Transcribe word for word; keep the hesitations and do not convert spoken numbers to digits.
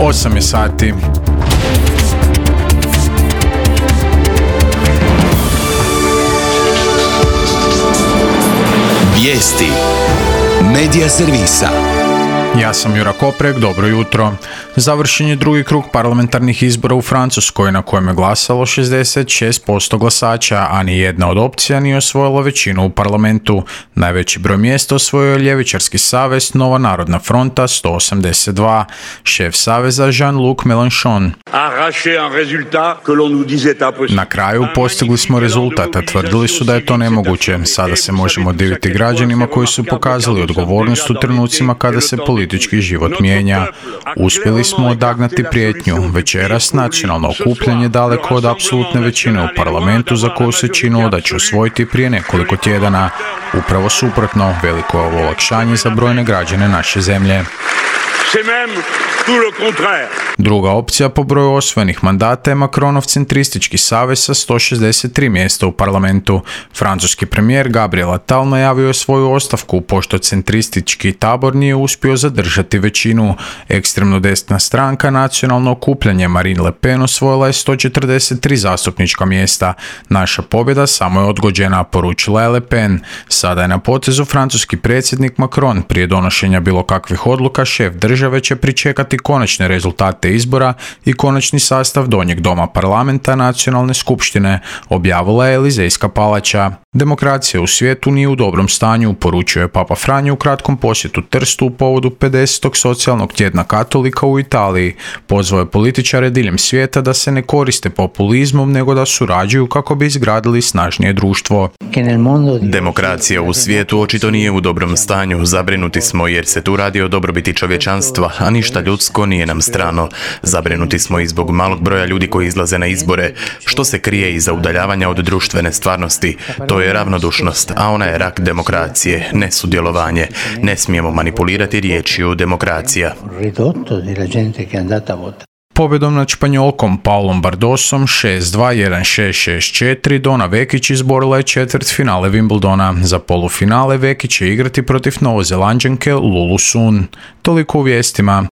osam je sati. Vijesti Medija servisa. Ja sam Jura Koprek, dobro jutro. Završen je drugi krug parlamentarnih izbora u Francuskoj na kojem je glasalo šezdeset šest posto glasača, a ni jedna od opcija nije osvojila većinu u parlamentu. Najveći broj mjesta osvojio je ljevičarski savez Nova narodna fronta sto osamdeset dva. Šef saveza Jean-Luc Mélenchon. Na kraju postigli smo rezultat, a tvrdili su da je to nemoguće. Sada se možemo diviti građanima koji su pokazali odgovornost u trenucima kada se politički život mijenja. Uspjeli smo odagnati prijetnju. Večeras nacionalno okupljanje daleko od apsolutne većine u parlamentu za koju se činilo da će osvojiti prije nekoliko tjedana. Upravo suprotno, veliko je ovo olakšanje za brojne građane naše zemlje. Druga opcija po broju osvojenih mandata je Macronov centristički savez sa sto šezdeset tri mjesta u parlamentu. Francuski premijer Gabriel Attal najavio je svoju ostavku pošto centristički tabor nije uspio zadržati većinu. Ekstremno desna stranka Nacionalno okupljanje Marine Le Pen osvojila je sto četrdeset tri zastupnička mjesta. Naša pobjeda samo je odgođena, poručila je Le Pen. Sada je na potezu francuski predsjednik Macron. Prije donošenja bilo kakvih odluka šef države će pričekati konačne rezultate izbora i konačni sastav donjeg doma parlamenta Nacionalne skupštine, objavila je Elizejska palača. Demokracija u svijetu nije u dobrom stanju, poručio je Papa Franjo u kratkom posjetu Trstu u povodu pedesetog socijalnog tjedna katolika u Italiji. Pozvao je političare diljem svijeta da se ne koriste populizmom, nego da surađuju kako bi izgradili snažnije društvo. Demokracija u svijetu očito nije u dobrom stanju. Zabrinuti smo jer se tu radi o dobrobiti čovječanstva, a ništa ljudsko nije nam strano. Zabrinuti smo i zbog malog broja ljudi koji izlaze na izbore. Što se krije iza udaljavanja od društvene stvarnosti? To je ravnodušnost, a ona je rak demokracije, nesudjelovanje. Ne smijemo manipulirati riječju demokracija. Pobjedom nad Španjolkom Paulom Bardosom šest dva, jedan šest, šest četiri Dona Vekić izborila je četvrtfinale Wimbledona. Za polufinale Vekić će igrati protiv Novozelanđanke Lulu Sun. Toliko u vijestima.